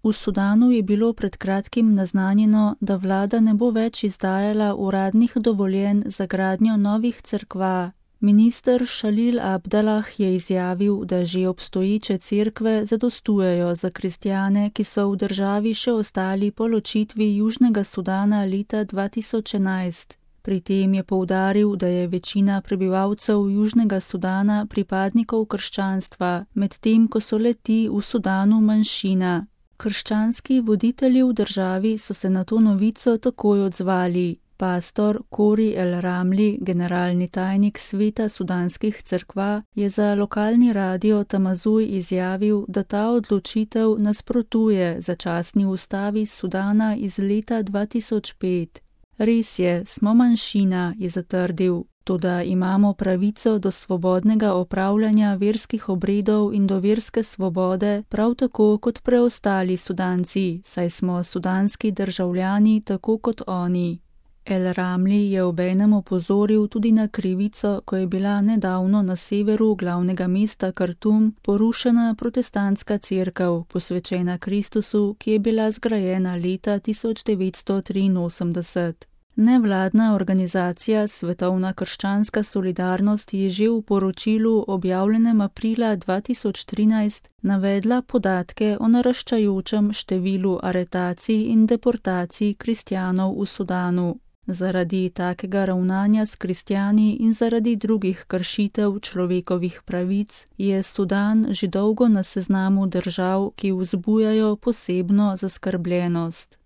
V Sudanu je bilo pred kratkim naznanjeno, da vlada ne bo več izdajala uradnih dovoljenj za gradnjo novih cerkva. Minister Šalil Abdalah je izjavil, da že obstoječe cerkve zadostujejo za kristjane, ki so v državi še ostali po ločitvi Južnega Sudana leta 2011. Pri tem je poudaril, da je večina prebivalcev Južnega Sudana pripadnikov krščanstva, medtem ko so le-ti v Sudanu manjšina. Krščanski voditelji v državi so se na to novico takoj odzvali. Pastor Kori El Ramli, generalni tajnik sveta sudanskih cerkva, je za lokalni radio Tamazuj izjavil, da ta odločitev nasprotuje začasni ustavi Sudana iz leta 2005. Res je, smo manjšina, je zatrdil, toda imamo pravico do svobodnega opravljanja verskih obredov in do verske svobode, prav tako kot preostali Sudanci, saj smo sudanski državljani tako kot oni. El Ramli je obenem opozoril tudi na krivico, ko je bila nedavno na severu glavnega mesta Kartum porušena protestantska cerkev, posvečena Kristusu, ki je bila zgrajena leta 1983. Nevladna organizacija Svetovna krščanska solidarnost je že v poročilu objavljenem aprila 2013 navedla podatke o naraščajočem številu aretacij in deportacij kristjanov v Sudanu. Zaradi takega ravnanja s kristjani in zaradi drugih kršitev človekovih pravic je Sudan že dolgo na seznamu držav, ki vzbujajo posebno zaskrbljenost.